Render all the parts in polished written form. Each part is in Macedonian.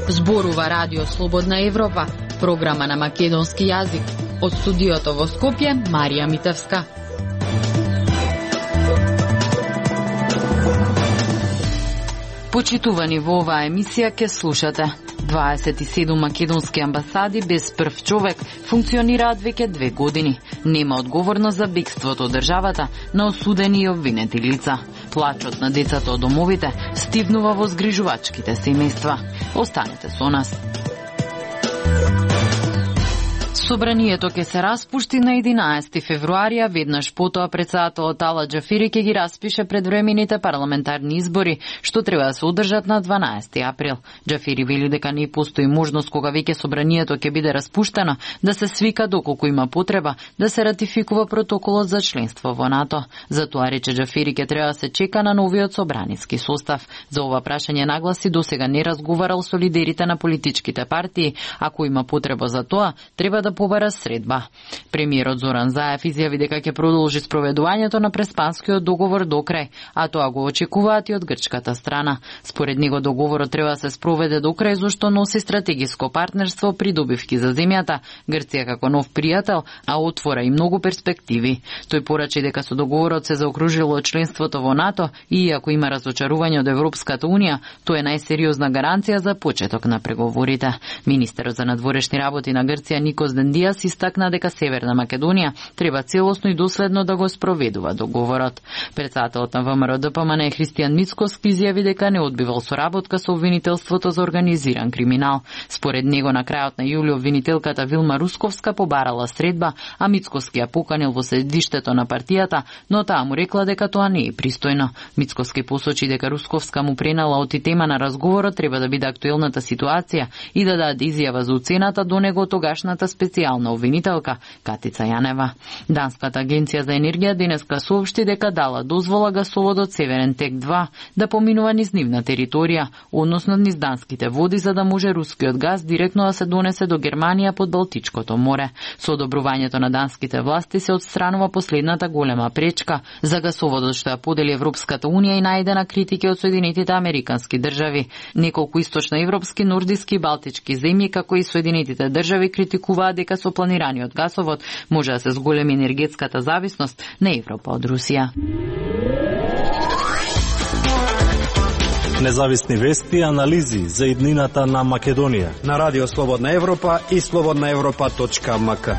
Зборува Радио Слободна Европа, програма на македонски јазик. Од студиото во Скопје, Марија Митевска. Почитувани во оваа емисија ке слушате. 27 македонски амбасади без прв човек функционираат веќе 2 години. Нема одговорност за бегството од државата на осудени и обвинети лица. Плачот на децата од домовите стивнува во згрижувачките семејства. Останете со нас. Собранието ќе се распушти на 11 февруари, а веднаш потоа председателот Ала Џафери ќе ги распише предвремените парламентарни избори, што треба да се одржат на 12 април. Џафери вели дека не постои можност кога веќе собранието ќе биде распуштено да се свика доколку има потреба да се ратификува протоколот за членство во НАТО. Затоа рече Џафери ќе треба да се чека на новиот собраниски состав. За ова прашање нагласи досега не разговарал со лидерите на политичките партии. Ако има потреба за тоа, треба да побара средба. Премиерот Зоран Заев изјави дека ќе продолжи спроведувањето на преспанскиот договор до крај, а тоа го очекуваат и од грчката страна. Според него договорот треба да се спроведе до крај зашто носи стратегиско партнерство при добивки за земјата, Грција како нов пријател, а отвора и многу перспективи. Тој порачи дека со договорот се заокружило членството во НАТО и иако има разочарување од Европската унија, тоа е најсериозна гаранција за почеток на преговорите. Министерот за надворешни работи на Грција Никос Дендијас истакна дека Северна Македонија треба целосно и доследно да го спроведува договорот. Председателот на ВМРО ДПМН Христијан Мицкоски изјави дека не одбивал соработка со обвинителството за организиран криминал. Според него на крајот на јули обвинителката Вилма Русковска побарала средба, а Мицкоски ја поканил во седиштето на партијата, но таа му рекла дека тоа не е пристојно. Мицкоски посочи дека Русковска му пренала оти тема на разговорот треба да биде актуелната ситуација и да даде изјава за оцената до него тогашната специјална обвинителка Катица Јанева. Данската агенција за енергија денеска соопшти дека дала дозвола гасоводот Северен тек 2 да поминува низ нивна територија, односно низ данските води, за да може рускиот газ директно да се донесе до Германија под Балтичкото море. Со одобрувањето на данските власти се отстранува последната голема пречка за гасоводот што ја подели Европската унија и најде на критики од Соединетите Американски држави. Неколку источноевропски, нордиски и балтички земји, како и Соединетите држави, критикуваат дека со планираниот гасовод може да се зголеми енергетската зависност на Европа од Русија. Независни вести и анализи за иднината на Македонија на Радио Слободна Европа и slobodnaevropa.mk.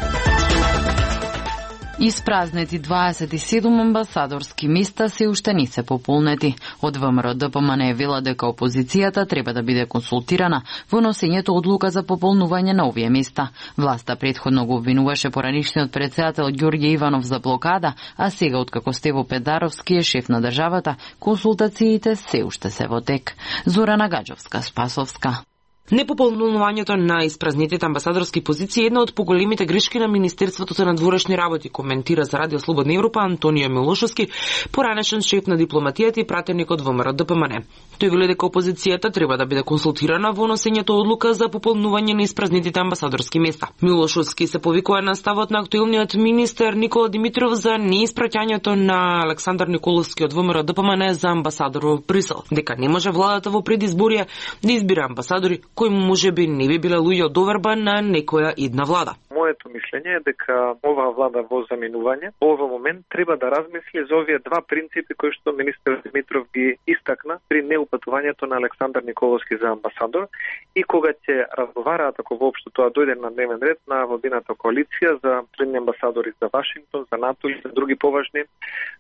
Испразнети 27 амбасадорски места се уште не се пополнети. Од ВМРО ДПМН вела дека опозицијата треба да биде консултирана во носењето одлука за пополнување на овие места. Власта претходно го обвинуваше поранишниот председател Ѓорѓе Иванов за блокада, а сега откако Стево Педаровски е шеф на државата, консултациите се уште се во тек. Зорана Гаджовска, Спасовска. Непополнувањето на испразнетите амбасадорски позиции е една од поголемите грешки на Министерството за надворешни работи, коментира за Радио Слободна Европа Антонио Милошовски, поранешен шеф на дипломатијата и пратеник од ВМРО ДПМН. Тој вели дека опозицијата треба да биде консултирана во носењето одлука за пополнување на испразнетите амбасадорски места. Милошовски се повикува на ставот на актуелниот министер Никола Димитров за неиспраќањето на Александар Николовски од ВМРО ДПМН за амбасадор во Брисел, дека не може владата во предизборија да избира амбасадори кои можеби не би биле луѓе од доверба на некоја идна влада. Моето мислење е дека оваа влада во заминување, во овој момент треба да размисли за овие два принципи кои што министер Димитров ги истакна при неупатувањето на Александар Николовски за амбасадор и кога ќе разговараат, ако воопшто тоа дојде на дневен ред на владината коалиција за средни амбасадори за Вашингтон, за НАТО и за други поважни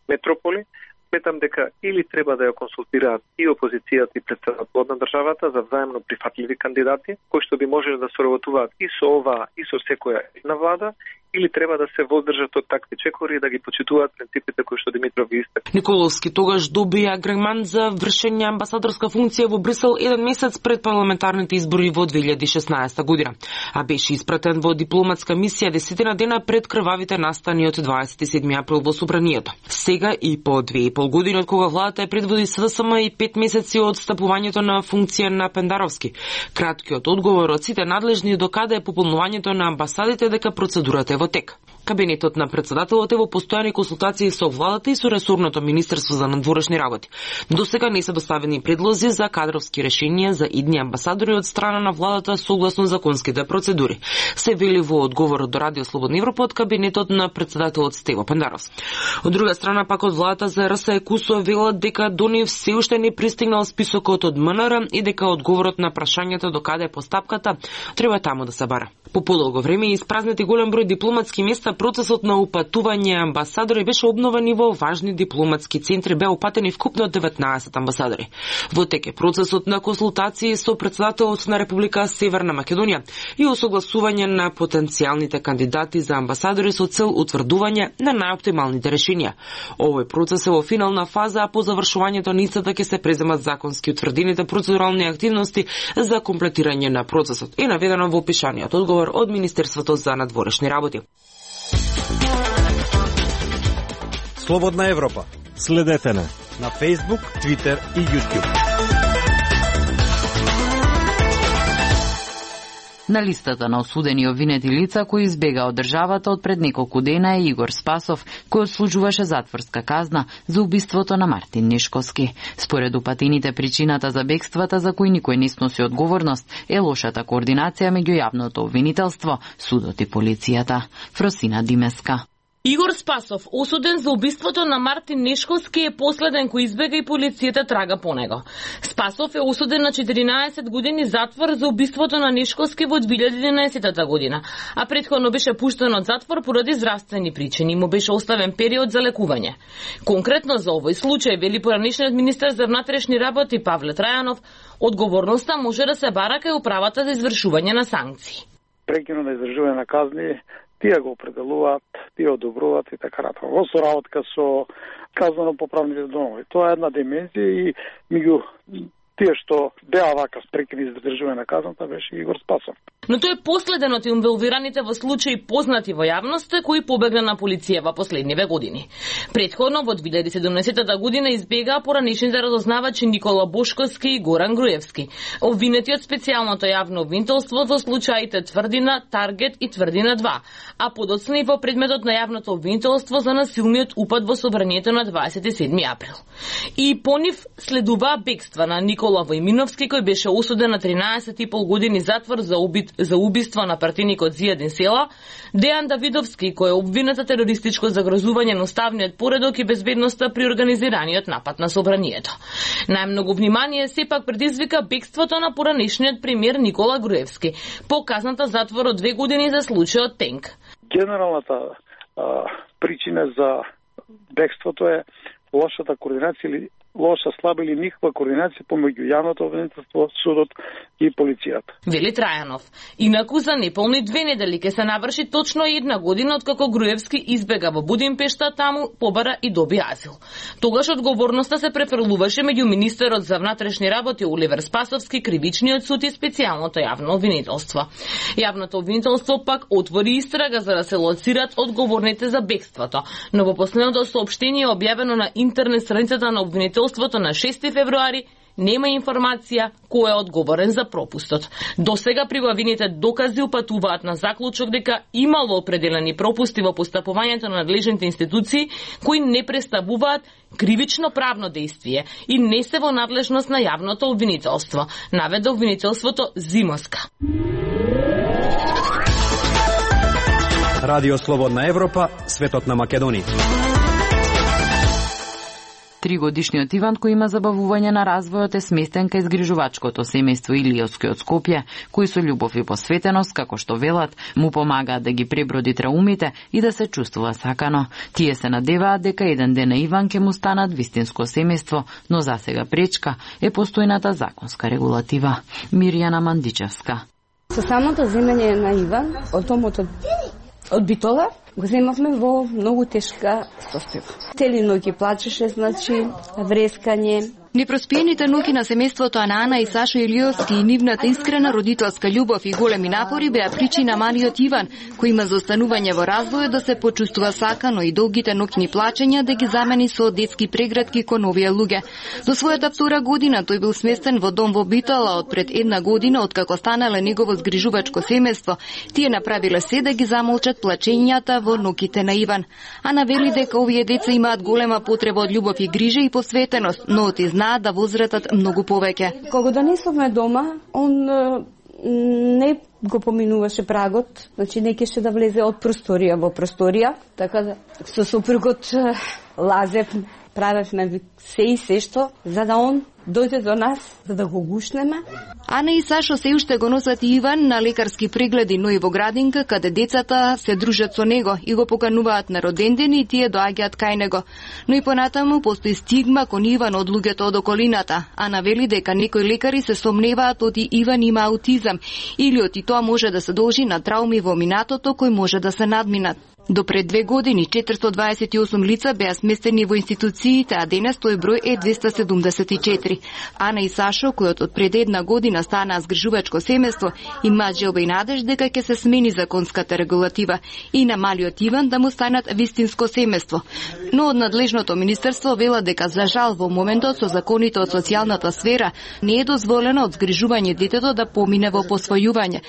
метрополи. Сметам дека или треба да ја консултираат и опозицијата и претседателот на државата за взаимно прифатливи кандидати, кои што би можеле да соработуваат и со оваа и со секоја една влада, или треба да се воздржат од такви чекори и да ги почитуваат принципите кои што Димитров ги истакна. Николовски тогаш добија агремент за вршење амбасадорска функција во Брисел еден месец пред парламентарните избори во 2016 година, а беше испратен во дипломатска мисија 10 дена пред крвавите настани од 27 април во собранието. Сега и по 2,5 години од кога владата е предводи СДСМ и 5 месеци од стапувањето на функција на Пендаровски. Краткиот одговор од сите надлежни докаде е пополнувањето на амбасадите дека процедурата е во тек. Кабинетот на председателот е во постојани консултации со владата и со ресорното Министерство за надворешни работи. Досега не се доставени предлози за кадровски решенија за идни амбасадори од страна на владата согласно законските процедури. Се вели во одговорот до Радио Слободна Европа од кабинетот на председателот Стево Пендаровски. Од друга страна пак од владата за РСЕ Кусо велат дека до нив се уште не пристигнал списокот од МНР и дека одговорот на прашањето до каде е постапката треба таму да се бара. По подолго време и испразнети голем број дипломатски места, процесот на упатување амбасадори беше обновен и во важни дипломатски центри беа упатени вкупно 19 амбасадори. Во тек е процесот на консултации со председателот на Република Северна Македонија и осогласување на потенцијалните кандидати за амбасадори со цел утврдување на најоптималните решенија. Овој процес е во финална фаза, а по завршувањето на истата ќе се преземат законски утврдените процедурални активности за комплетирање на процесот. Е наведено во опишаниот одговор од Министерството за надворешни работи. Слободна Европа. Следете не На Facebook, Twitter и YouTube. На листата на осудени и обвинети лица кои избега од државата од пред неколку дена е Игор Спасов, кој отслужуваше затворска казна за убиството на Мартин Нешковски. Според упатените, причината за бегствата за кои никој не сноси одговорност е лошата координација меѓу јавното обвинителство, судот и полицијата. Фросина Димеска. Игор Спасов, осуден за убиството на Мартин Нешковски, е последен кој избега и полицијата трага по него. Спасов е осуден на 14 години затвор за убиството на Нешковски во 2011 година, а претходно беше пуштен од затвор поради здравствени причини и му беше оставен период за лекување. Конкретно за овој случај, вели поранешниот министер за внатрешни работи Павле Трајанов, одговорноста може да се бара кај управата за извршување на санкции. Прекино на издржување на казни тие го определуваат, тие одобруваат и така натаму. Во соработка со казнено-поправните домови. Тоа е една димензија и меѓу тие што беа вака спрекини за издржување на казната беше Игор Спасов. Но тој е последен од инволвираните во случаи познати во јавноста кои побегна на полиција во последниве години. Предходно во 2017 година избегаа поранешните разузнавачи Никола Бошковски и Горан Груевски, обвинети од специјалното јавно обвинителство во случаите Тврдина, Таргет и Тврдина 2, а подоцна и во предметот на јавното обвинителство за насилниот упад во собранието на 27 април. И по нив следуваа бегства на Никола Војминовски, кој беше осуден на 13,5 години затвор за убиство на партиникот Зијадин Села, Дејан Давидовски, кој е обвинет за терористичко загрозување на уставниот поредок и безбедноста при организираниот напад на собранието. Најмногу внимание сепак предизвика бегството на поранешниот премиер Никола Груевски, по казната затвор од 2 години за случајот Тенк. Генералната причина за бегството е лошата координација или лоша, слаба или никаква координација помеѓу јавното обвинителство, судот и полицијата. Вели Трајанов. Инаку за неполни 2 недели ќе се наврши точно 1 година откако Груевски избега во Будимпешта, таму побара и доби азил. Тогаш одговорноста се префрлуваше меѓу министерот за внатрешни работи Оливер Спасовски, кривичниот суд и специјалното јавно обвинителство. Јавното обвинителство пак отвори истрага за да се лоцират одговорните за бегството, но во последното соопштение објавено на интернет страницата на обвинителството на 6 февруари нема информација кој е одговорен за пропустот. Досега прибавените докази упатуваат на заклучок дека имало определени пропусти во постапувањето на надлежните институции кои не представуваат кривично правно действие и не се во надлежност на јавното обвинителство, наведе обвинителството Зимоска. Радио Слободна Европа, светот на Македонија. 3-годишниот Иван, кој има забавување на развојот, е сместен кај згрижувачкото семејство Илијовски од Скопје, кои со љубов и посветеност, како што велат, му помагаат да ги преброди траумите и да се чувствува сакано. Тие се надеваат дека еден ден на Иван ќе му станат вистинско семејство, но засега пречка е постојната законска регулатива. Мирјана Мандичевска. Со самото земење на Иван од домот од Битола го земавме во многу тешка состојба. Цели ноќи плачеше, значи врескање, Непроспиените ноќи на семејството на Ана и Сашо Илиовски и нивната искрена родителска љубов и големи напори беа причина малиот Иван, кој има за останување во развој, да се почувствува сакано и долгите ноќни плачења да ги замени со детски прегратки кон овие луѓе. До својата втора година тој бил сместен во дом во Битола од пред една година, откако станале негово згрижувачко семејство. Тие направиле се да ги замолчат плачењата во ноќите на Иван. Ана вели дека овие деца имаат голема потреба од љубов и грижа и посветеност, но оти знаат да возратат многу повеќе. Кога донесовме дома, он не го поминуваше прагот, значи не кеше да влезе од просторија во просторија, така да со сопругот лазев, правевме се и се што, за да он дојде до нас, за да го гушнеме. Ана и Сашо се уште го носат Иван на лекарски прегледи, но и во градинка, каде децата се дружат со него и го покануваат на роденден и тие доаѓаат кај него. Но и понатаму постои стигма кон Иван од луѓето од околината. Ана вели дека некои лекари се сомневаат оти Иван има аутизам или оти тоа може да се должи на трауми во минатото кои може да се надминат. До пред 2 години 428 лица беа сместени во институциите, а денес тој број е 274. Ана и Сашо, кој од пред една година стана згрижувачко семејство, имаат желба и надеж дека ќе се смени законската регулатива и на малиот Иван да му станат вистинско семејство. Но од надлежното министерство вела дека за жал во моментот со законите од социјалната сфера не е дозволено од згрижување детето да помине во посвојување.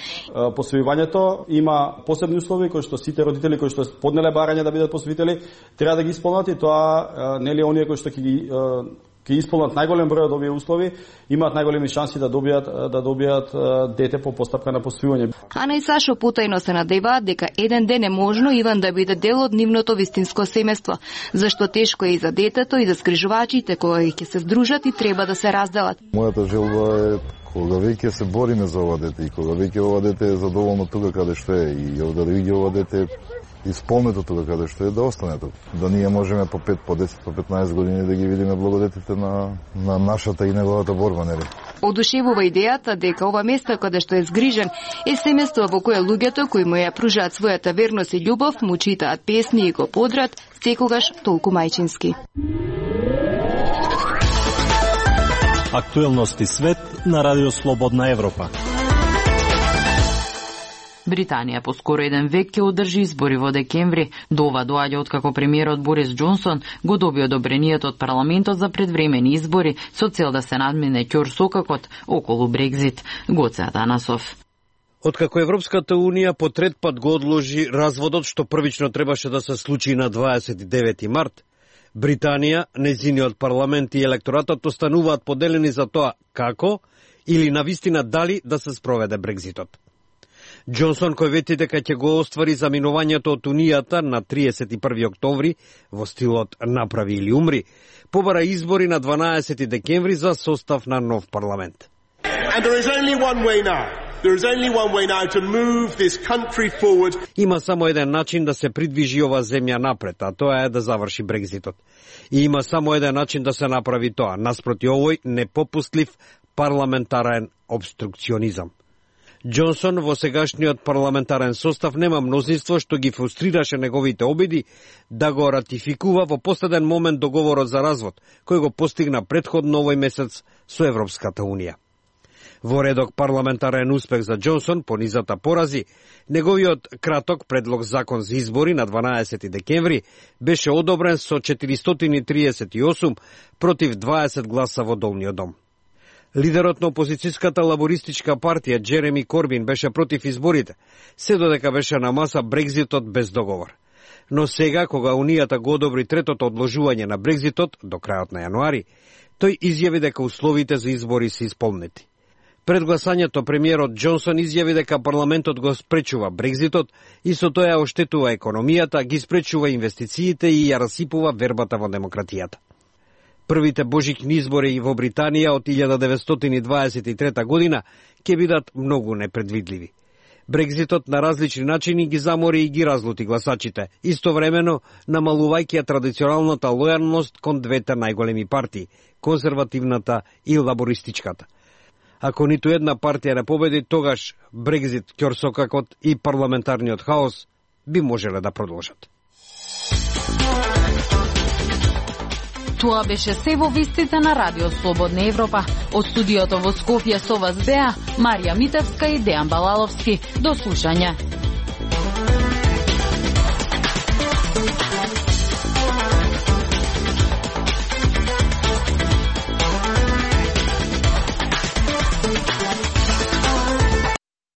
Посвојувањето има посебни услови кои што сите родители кои што поднеле барање да бидат посвоители треба да ги исполнат и тоа нели оние кои што ќе исполнат најголем број од овие услови имаат најголеми шанси да добијат дете по постапка на посвојување. Ана и Сашо потајно се надеваат дека еден ден е можно Иван да биде дел од нивното вистинско семејство, зашто тешко е и за детето и за скрижувачите кои ќе се здружат и треба да се разделат. Мојата желба е кога веќе се бориме за ова дете и кога веќе ова дете е задоволно тука каде што е и да види ова дете исполнето тука каде што е да остане тука. Да ние можеме по 5, по 10, по 15 години да ги видиме благодетите на нашата и неговата борба, нели? Одушевува идејата дека ова место каде што е згрижен е семејство во кое луѓето кои му ја пружаат својата верност и љубов му читаат песни и го подрат секогаш толку мајчински. Актуелности свет на Радио Слободна Европа. Британија по скоро еден век ќе одржи избори во декември. До ова доаѓа откако премиерот Борис Џонсон го доби одобрението од парламентот за предвремени избори со цел да се надмине ќорсокакот околу Брекзит. Гоце Атанасов. Откако Европската Унија по трет пат го одложи разводот што првично требаше да се случи на 29 март, Британија, нејзиниот парламент и електоратот остануваат поделени за тоа како или навистина дали да се спроведе Брекзитот. Џонсон, кој вети дека ќе го оствари заминувањето од Унијата на 31 октомври во стилот направи или умри, побара избори на 12 декември за состав на нов парламент. Има само еден начин да се придвижи ова земја напред, а тоа е да заврши Брекзитот. И има само еден начин да се направи тоа, наспроти овој непопустлив парламентарен обструкционизам. Џонсон во сегашниот парламентарен состав нема мнозинство што ги фрустрираше неговите обиди да го ратификува во последен момент договорот за развод, кој го постигна претходно овој месец со Европската Унија. Во редок парламентарен успех за Џонсон по низата порази, неговиот краток предлог закон за избори на 12 декември беше одобрен со 438 против 20 гласа во Долниот дом. Лидерот на опозицијската лабористичка партија Джереми Корбин беше против изборите, се додека беше на маса Брекзитот без договор. Но сега, кога Унијата го одобри третото одложување на Брекзитот до крајот на јануари, тој изјави дека условите за избори се исполнети. Пред гласањето премиерот Џонсон изјави дека парламентот го спречува Брекзитот и со тоа ја оштетува економијата, ги спречува инвестициите и ја расипува вербата во демократијата. Првите божични избори во Британија од 1923 година ќе бидат многу непредвидливи. Брекзитот на различни начини ги замори и ги разлути гласачите, истовремено намалувајќи традиционалната лојалност кон двете најголеми партии, конзервативната и лабористичката. Ако ниту една партија не победи, тогаш Брекзит, ќорсокакот и парламентарниот хаос би можеле да продолжат. Тоа беше се во вестите на Радио Слободна Европа. Од студиото во Скопје со вас беа Марија Митевска и Дејан Балаловски. До слушање.